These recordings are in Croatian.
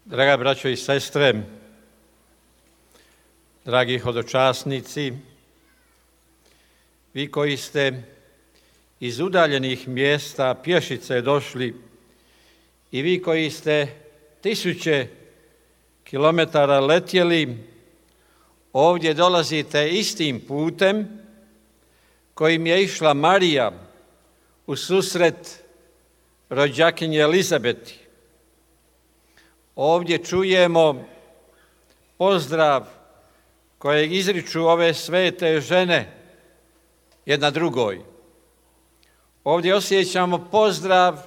Draga braćo i sestre, dragi hodočasnici, vi koji ste iz udaljenih mjesta pješice došli i vi koji ste 1000 kilometara letjeli, ovdje dolazite istim putem kojim je išla Marija u susret rođakinje Elizabeti. Ovdje čujemo pozdrav kojeg izriču ove svete žene jedna drugoj. Ovdje osjećamo pozdrav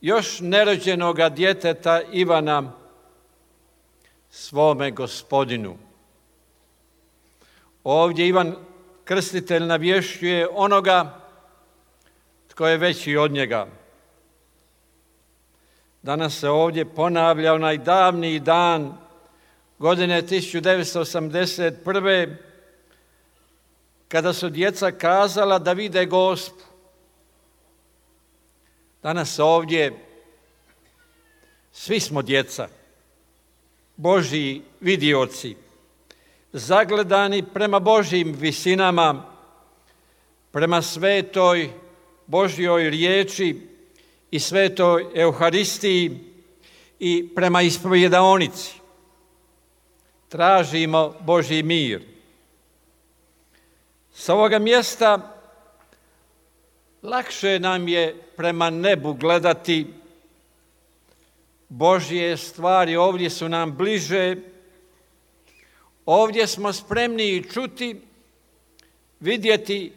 još nerođenoga djeteta Ivana svome Gospodinu. Ovdje Ivan Krstitelj navješćuje onoga tko je veći od njega. Danas se ovdje ponavlja onaj davni dan godine 1981. kada su djeca kazala da vide Gospu. Danas ovdje svi smo djeca, Božji vidioci, zagledani prema Božjim visinama, prema svetoj Božjoj riječi i svetoj Euharistiji i prema ispovjedaonici. Tražimo Božji mir. S ovoga mjesta lakše nam je prema nebu gledati. Božje stvari ovdje su nam bliže. Ovdje smo spremni čuti, vidjeti,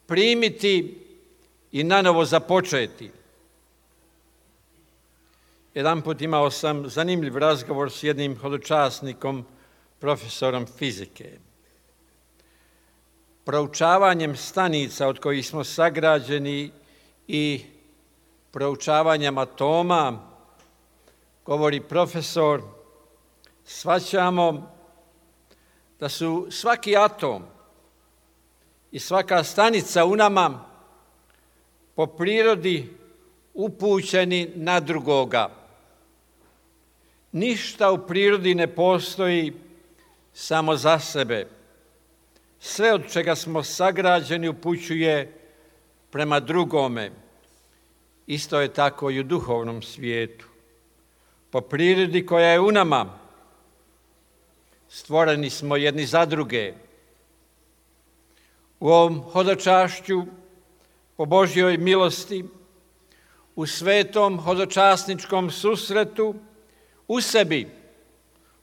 primiti i nanovo započeti. Jedanput imao sam zanimljiv razgovor s jednim hodočasnikom, profesorom fizike. Proučavanjem stanica od kojih smo sagrađeni i proučavanjem atoma, govori profesor, shvaćamo da su svaki atom i svaka stanica u nama po prirodi upućeni na drugoga. Ništa u prirodi ne postoji samo za sebe. Sve od čega smo sagrađeni upućuje prema drugome. Isto je tako i u duhovnom svijetu. Po prirodi koja je u nama, stvoreni smo jedni za druge. U ovom hodočašću, po Božjoj milosti, u svetom hodočasničkom susretu, u sebi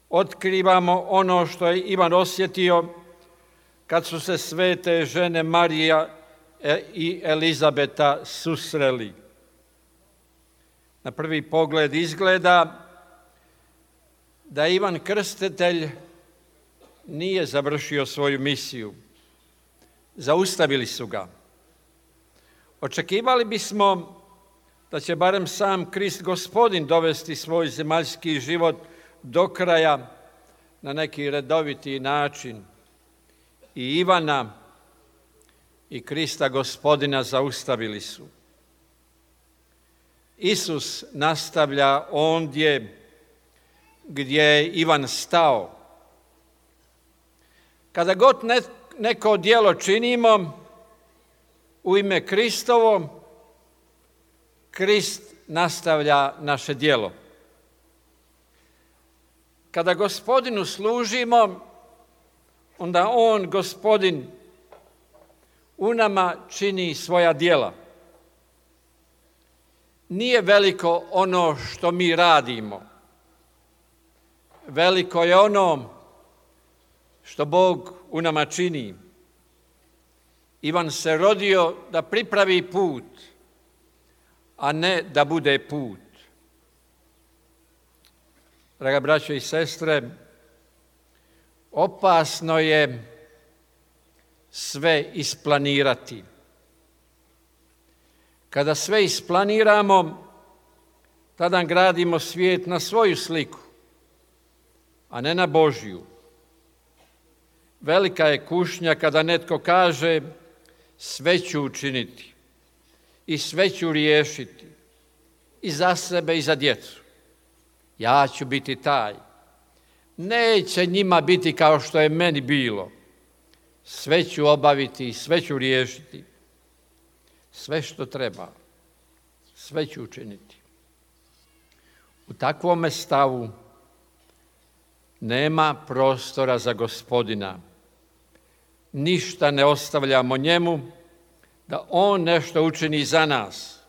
otkrivamo ono što je Ivan osjetio kad su se svete žene Marija i Elizabeta susreli. Na prvi pogled izgleda da Ivan Krstitelj nije završio svoju misiju. Zaustavili su ga. Očekivali bismo da će barem sam Krist Gospodin dovesti svoj zemaljski život do kraja na neki redoviti način. I Ivana i Krista Gospodina zaustavili su. Isus nastavlja ondje gdje je Ivan stao. Kada god neko djelo činimo u ime Kristovo, Krist nastavlja naše djelo. Kada Gospodinu služimo, onda on, Gospodin, u nama čini svoja djela. Nije veliko ono što mi radimo. Veliko je ono što Bog u nama čini. Ivan se rodio da pripravi put, a ne da bude put. Draga braćo i sestre, opasno je sve isplanirati. Kada sve isplaniramo, tada gradimo svijet na svoju sliku, a ne na Božju. Velika je kušnja kada netko kaže sve ću učiniti i sve ću riješiti i za sebe i za djecu Ja ću biti taj. Neće njima biti kao što je meni bilo. Sve ću obaviti, sve ću riješiti. Sve što treba, sve ću učiniti. U takvome stavu nema prostora za Gospodina. Ništa ne ostavljamo njemu da on nešto učini za nas.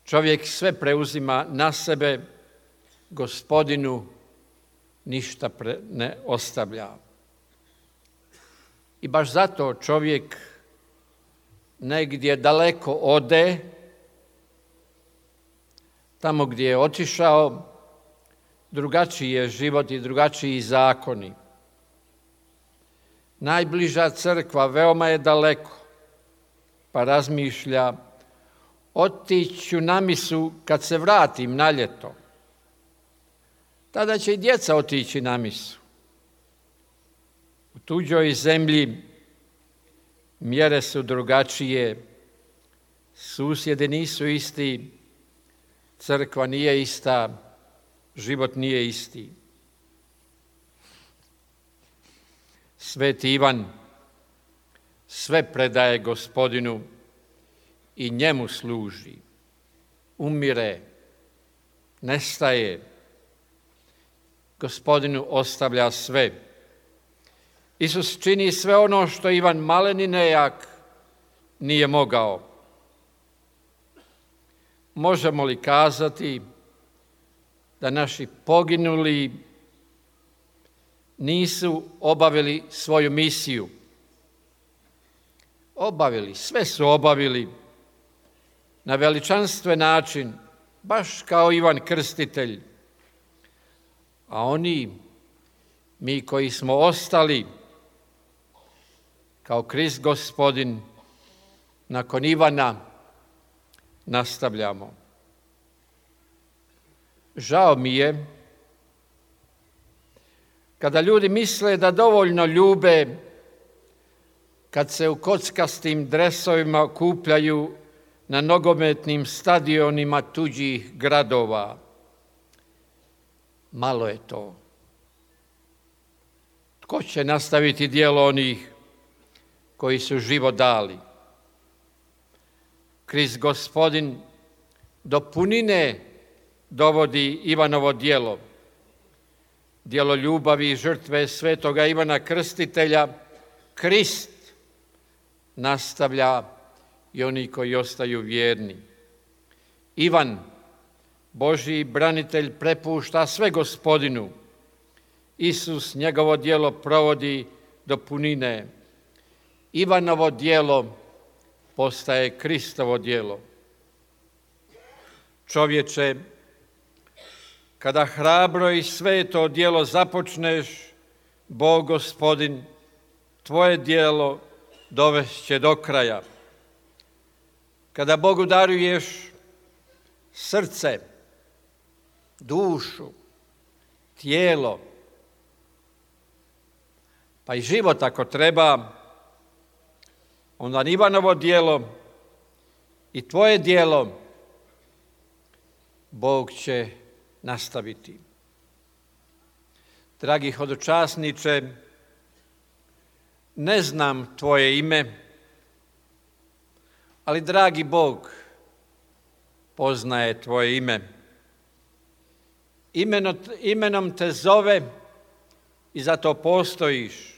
Čovjek sve preuzima na sebe, Gospodinu ništa ne ostavlja. I baš zato čovjek negdje daleko ode, tamo gdje je otišao, drugačiji je život i drugačiji zakoni. Najbliža crkva veoma je daleko, pa razmišlja, otiću na misu kad se vratim na ljeto. Tada će i djeca otići na misu. U tuđoj zemlji mjere su drugačije, susjedi nisu isti, crkva nije ista, život nije isti. Sveti Ivan sve predaje Gospodinu i njemu služi. Umire, nestaje, Gospodinu ostavlja sve. Isus čini sve ono što Ivan maleni nejak nije mogao. Možemo li kazati da naši poginuli nisu obavili svoju misiju? Obavili, sve su obavili na veličanstven način, baš kao Ivan Krstitelj. A oni, mi koji smo ostali, kao Krist Gospodin, nakon Ivana nastavljamo. Žao mi je kada ljudi misle da dovoljno ljube kad se u kockastim dresovima okupljaju na nogometnim stadionima tuđih gradova. Malo je to. Tko će nastaviti djelo onih koji su život dali? Krist Gospodin do punine dovodi Ivanovo djelo. Djelo ljubavi i žrtve svetoga Ivana Krstitelja, Krist nastavlja i oni koji ostaju vjerni. Ivan, Božji branitelj, prepušta sve Gospodinu. Isus njegovo djelo provodi do punine. Ivanovo djelo postaje Kristovo djelo. Čovječe, kada hrabro i sveto djelo započneš, Bog Gospodin tvoje djelo dovešće do kraja. Kada Bogu daruješ srce, dušu, tijelo, pa i život ako treba, onda Ivanovo djelo i tvoje djelo Bog će nastaviti. Dragi hodočasniče, ne znam tvoje ime, ali dragi Bog poznaje tvoje ime. Imenom te zove i zato postojiš.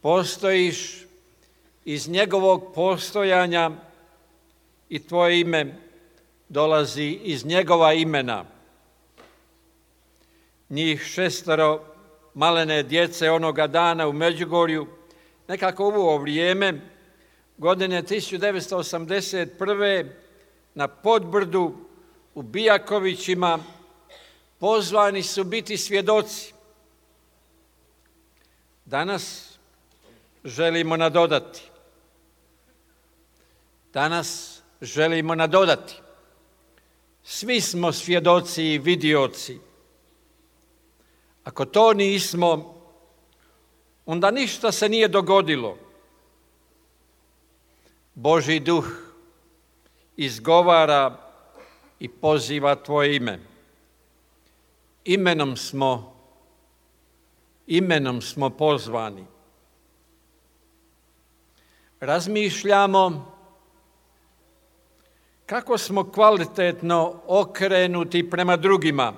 Postojiš iz njegovog postojanja i tvoje ime dolazi iz njegova imena. Njih 6 malene djece onoga dana u Međugorju, nekako u ovo vrijeme, godine 1981. na Podbrdu u Bijakovićima, pozvani su biti svjedoci. Danas želimo nadodati. Svi smo svjedoci i vidioci. Ako to nismo, onda ništa se nije dogodilo. Božji duh izgovara i poziva tvoje ime. imenom smo pozvani. Razmišljamo kako smo kvalitetno okrenuti prema drugima.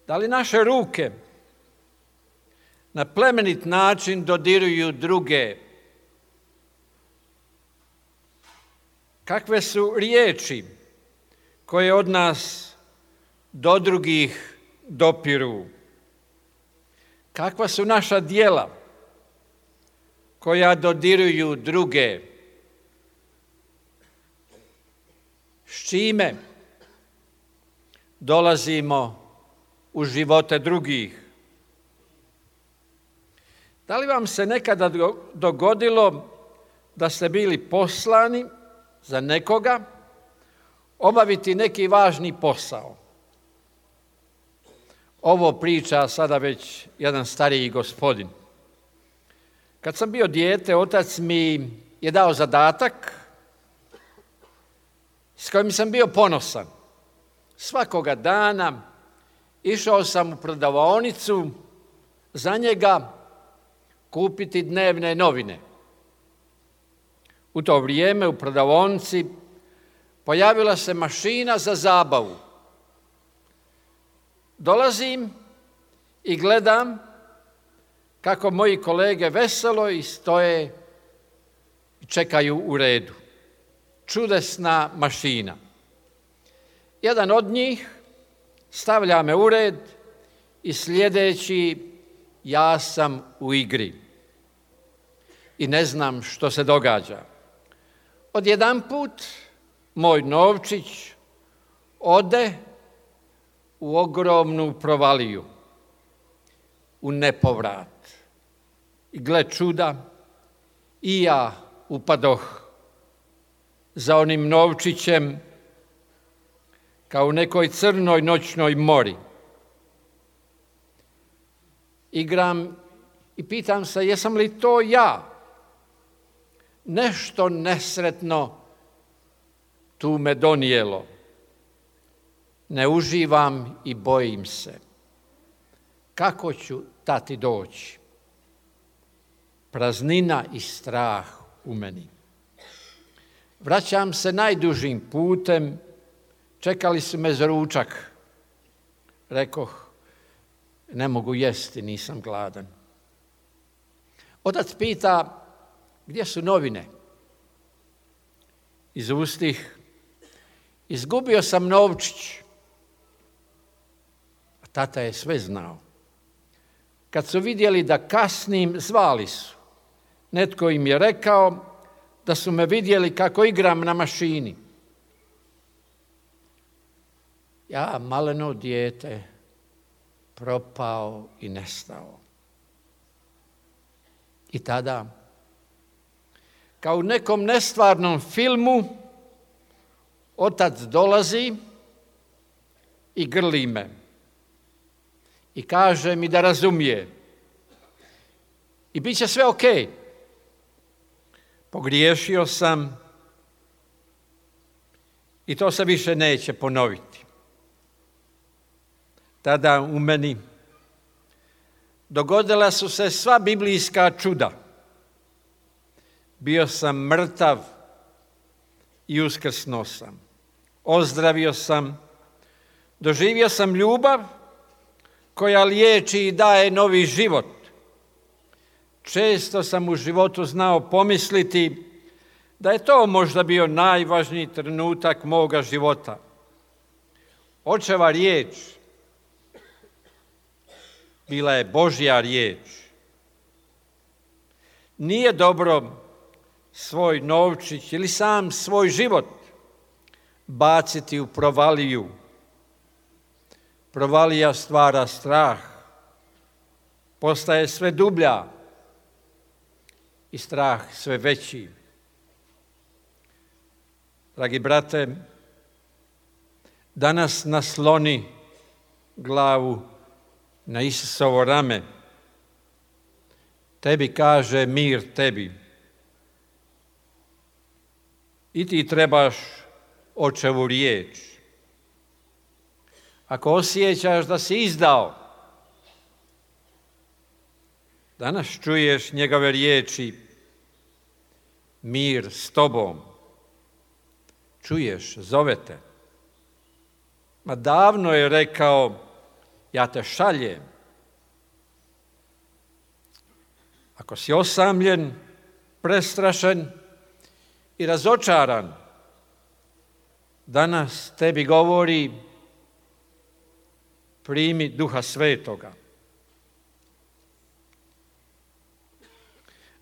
Da li naše ruke na plemenit način dodiruju druge? Kakve su riječi koje od nas do drugih dopiru? Kakva su naša djela koja dodiruju druge? S čime dolazimo u živote drugih? Da li vam se nekada dogodilo da ste bili poslani za nekoga obaviti neki važni posao? Ovo priča sada već jedan stariji gospodin. Kad sam bio dijete, otac mi je dao zadatak s kojim sam bio ponosan. Svakoga dana išao sam u prodavaonicu za njega kupiti dnevne novine. U to vrijeme u prodavaonici pojavila se mašina za zabavu. Dolazim i gledam kako moji kolege veselo i stoje i čekaju u redu. Čudesna mašina. Jedan od njih stavlja me u red i sljedeći ja sam u igri i ne znam što se događa. Odjedanput moj novčić ode u ogromnu provaliju, u nepovrat. I gle čuda, i ja upadoh za onim novčićem kao u nekoj crnoj noćnoj mori. Igram i pitam se jesam li to ja? Nešto nesretno tu me donijelo. Ne uživam i bojim se. Kako ću tati doći? Praznina i strah u meni. Vraćam se najdužim putem, čekali su me za ručak. Rekoh, ne mogu jesti, nisam gladan. Otac pita, gdje su novine? Izustih, izgubio sam novčić. A tata je sve znao. Kad su vidjeli da kasnim, zvali su. Netko im je rekao da su me vidjeli kako igram na mašini. Ja, maleno dijete, propao i nestao. I tada, kao u nekom nestvarnom filmu, otac dolazi i grli me. I kaže mi da razumije. I bit će sve ok. Pogriješio sam i to se više neće ponoviti. Tada u meni dogodila su se sva biblijska čuda. Bio sam mrtav i uskrsnuo sam. Ozdravio sam, doživio sam ljubav koja liječi i daje novi život. Često sam u životu znao pomisliti da je to možda bio najvažniji trenutak moga života. Očeva riječ bila je Božja riječ. Nije dobro svoj novčić ili sam svoj život baciti u provaliju. Provalija stvara strah, postaje sve dublja i strah sve veći. Dragi brate, danas nasloni glavu na Isusovo rame. Tebi kaže mir tebi. I ti trebaš očevu riječ. ako osjećaš da si izdao, danas čuješ njegove riječi, mir s tobom. Čuješ, zove te. Ma davno je rekao, ja te šaljem. Ako si osamljen, prestrašen i razočaran, danas tebi govori, primi Duha Svetoga.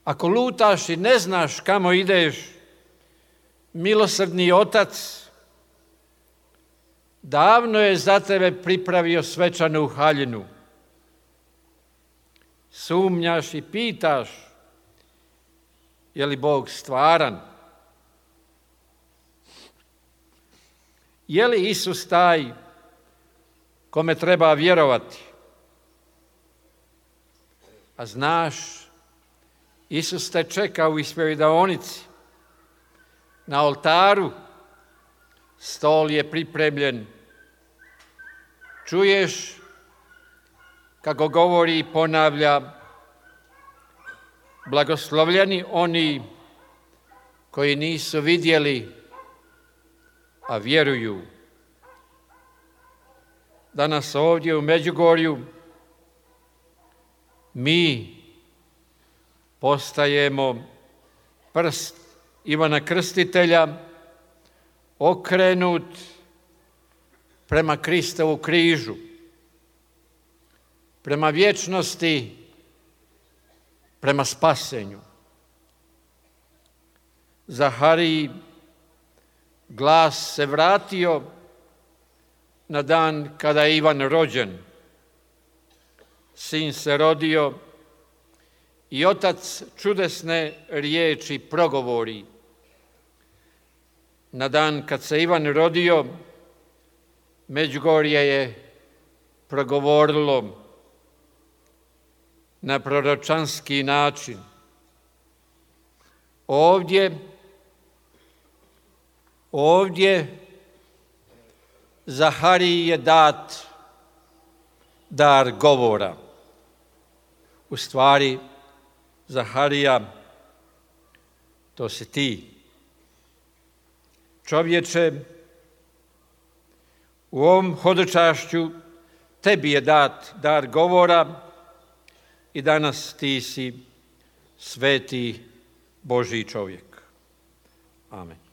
Ako lutaš i ne znaš kamo ideš, milosrdni Otac davno je za tebe pripravio svečanu haljinu. Sumnjaš i pitaš, je li Bog stvaran? Je li Isus taj kome treba vjerovati? A znaš, Isus te čeka u ispovjedaonici. Na oltaru stol je pripremljen. Čuješ kako govori i ponavlja, blagoslovljeni oni koji nisu vidjeli, a vjeruju. Danas ovdje u Međugorju mi postajemo prst Ivana Krstitelja okrenut prema Kristovu križu, prema vječnosti, prema spasenju. Zahariji glas se vratio na dan kada je Ivan rođen. Sin se rodio i Otac čudesne riječi progovori. Na dan kad se Ivan rodio, Međugorje je progovorilo na proročanski način. Ovdje Zahariji je dat dar govora. U stvari, Zaharija, to si ti. Čovječe, u ovom hodočašću tebi je dat dar govora i danas ti si sveti Božji čovjek. Amen.